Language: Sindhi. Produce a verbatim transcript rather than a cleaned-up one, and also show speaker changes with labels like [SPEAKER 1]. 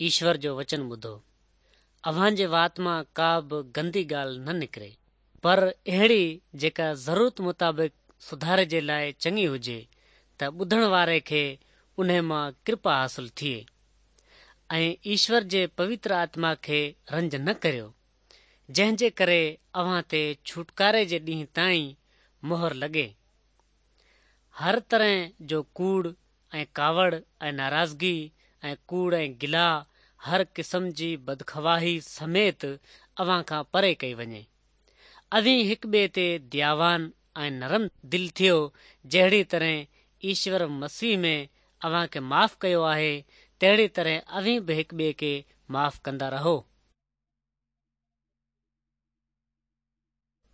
[SPEAKER 1] ايشور جو وچن ٻڌو. اوهان جي وات مان ڪا به گندي ڳالهه نه نڪري، پر اهڙي جيڪا ضرورت مطابق سڌاري جي لاءِ چڱي هجي ته ٻڌڻ واري کي انهي مان ڪرپا حاصل ٿئي. ۽ ايشور جي پوتر آتما کي رنج نه ڪريو، جنهن جي ڪري اوهان تي ڇوٽڪاري جي ڏينهن تائين مهر لڳي. هر طرح جو ڪوڙ ۽ ڪاوڙ ۽ ناراضگي ۽ ڪوڙ ۽ گلا هر قسم جي بدخواهي سميت اوهان کان پري ڪئي وڃي. اوهين هڪ ٻئي تي دياوان ۽ نرم دل ٿيو، جهڙي طرح ايشور مسيح ۾ اوهان کي معاف ڪيو آهي، تهڙي طرح اوهين به هڪ ٻئي کي معاف ڪندا رهو.